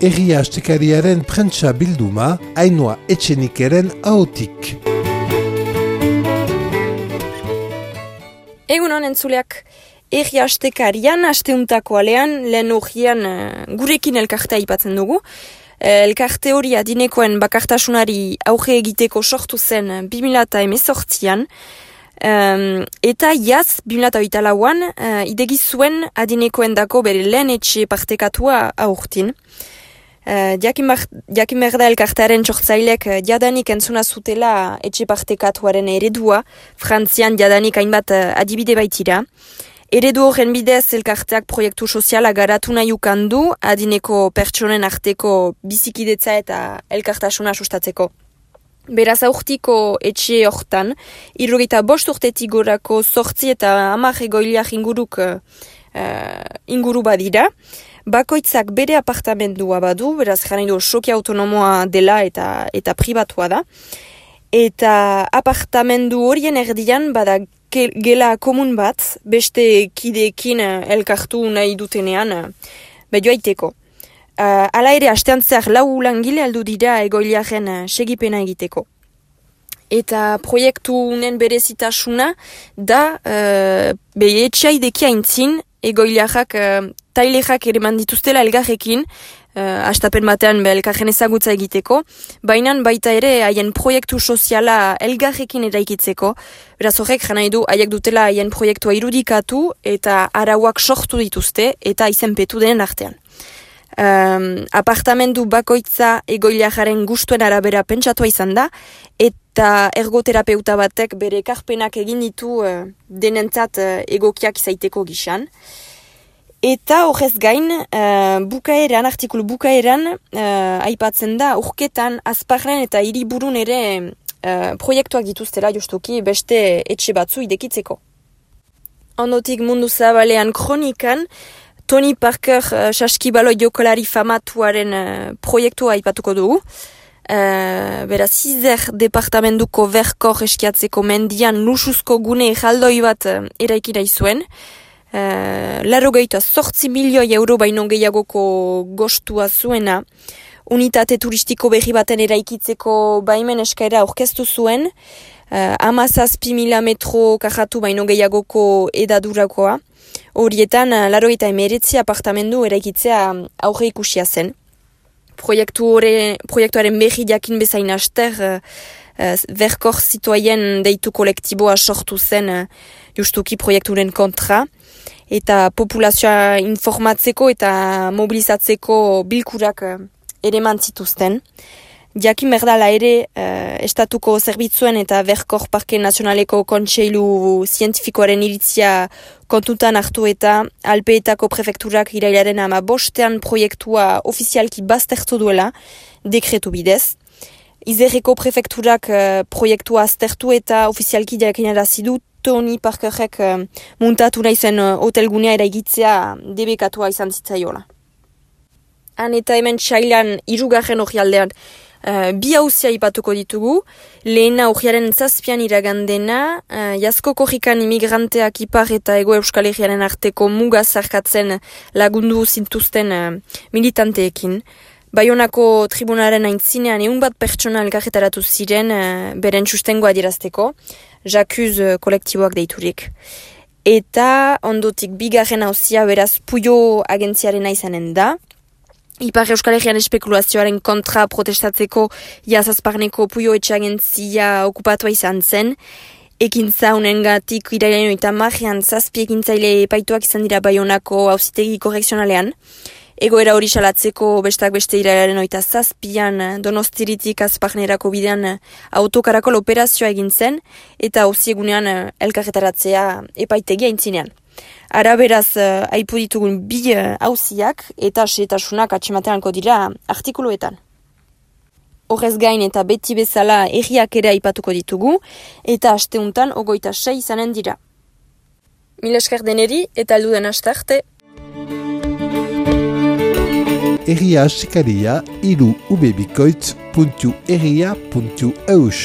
Herria Astekariaren prentsa bilduma, Ainhoa Etxenikeren ahotik. Egunon entzuleak, Herria Astekarian, asteuntako alean, lehen urgian gurekin elkartea aipatzen dugu. Elkarte hori adinekoen bakartasunari auge egiteko sortu zen 2018an, eta jaz 2008an idegi zuen adinekoen dako bere lehen etxe partekatua aurtin. Jakin berda elkartearen txortzailek jadanik entzuna zutela etxe partekatuaren eredua, Frantzian jadanik hainbat adibide baitira. Eredu horren bidez elkarteak proiektu soziala garatu nahi ukandu, adineko pertsonen arteko bizikidetza eta elkartasuna sustatzeko. Beraz aurtiko etxe hortan, 75 urtetik gorako 8 eta 10 egoiliak inguru badira. Bakoitzak bere apartamendua badu, beraz jara nahi du soki autonomoa dela eta pribatua da. Eta apartamendu horien erdian bada gela komun bat, beste kideekin elkartu nahi dutenean joaiteko. Hala ere, astean zer 4 langile aldu dira egoiliaren segipena egiteko. Eta proiektu unen berezitasuna da etxaidekia intzin egoiliak tailerak ere mandituztela elgarrekin, astapen batean elkarren ezagutza egiteko, baina baita ere haien proiektu soziala elgarrekin eraikitzeko, beraz horrek jana du haiek dutela haien proiektua irudikatu eta arauak sortu dituzte eta izenpetu denen artean. Apartamendu bakoitza egoiliaren gustuen arabera pentsatua izan da, eta ergoterapeuta batek bere ekarpenak egin ditu denentzat egokiak izaiteko gisan. Eta horrez gain, artikulu bukaeran, aipatzen da, urketan, azparren eta hiriburun ere proiektuak dituztela justuki beste etxe batzu idekitzeko. Ondotik mundu zabalean kronikan, Tony Parker saskibaloi jokolari famatuaren proiektua aipatuko dugu. Beraz, 6 departamentuko verkor eskiatzeko mendian luxuzko gune jaldoi bat eraikina izuen. 88 milioi euro baino gehiagoko gostua zuena, unitate turistiko berri baten eraikitzeko baimen eskaera aurkeztu zuen, 17.000 metro karratu baino gehiagoko edadurakoa, horietan 89 apartamendu eraikitzea aurre ikusia zen. Proiektuaren berri jakin bezain aster, verkor zituaien deitu kolektiboa sortu zen justuki proiekturen kontra, eta populazioa informatzeko eta mobilizatzeko bilkurak ere mantzituzten. Jakin berdala ere, estatuko zerbitzuen eta Verkor Parke Nazionaleko Kontseilu Zientifikoaren iritzia kontutan hartu eta Alpeetako prefekturak irailaren 15 proiektua ofizialki baztertu duela, dekretu bidez. Izerreko prefekturak proiektua aztertu eta ofizialki jakinarazi du Tony Parkerrek muntatu nahi zen hotelgunea eraikitzea debekatua izan zitzaiola. Han eta hemen txailan 3. orrialdean 2 auzia ipatuko ditugu. Lehena urriaren 7 iragandena, Jasko korrikan imigranteak Ipar eta Ego Euskal Herriaren arteko muga zarkatzen lagundu zintuzten militanteekin. Baionako tribunaren aintzinean 100 pertsona elkarretaratu ziren beren sustengoa adierazteko, Jakuz kolektiboak deiturik. Eta ondotik 2. auzia beraz Puyo agentziarena izanen da. Ipar Euskal Herrian espekulazioaren kontra protestatzeko jazazparneko Puyo etxe agentzia okupatua izan zen. Ekintza unengatik irailaren 30 7 ekintzaile epaituak izan dira Baionako auzitegi korrekzionalean. Egoera hori salatzeko bestak beste irailaren 27 Donostiritik Azparnerako bidean autokarakol operazioa egin zen eta auziegunean elkarretaratzea epaitegia aintzinean. Ara beraz aipu ditugun 2 auziak eta xehetasunak atxemateanko dira artikuluetan. Horrez gain eta beti bezala herriak ere aipatuko ditugu eta asteuntan 26 izanen dira. Mil esker deneri eta alduden astarte. Herria Astekaria, 3ubebikoitz.herria.eus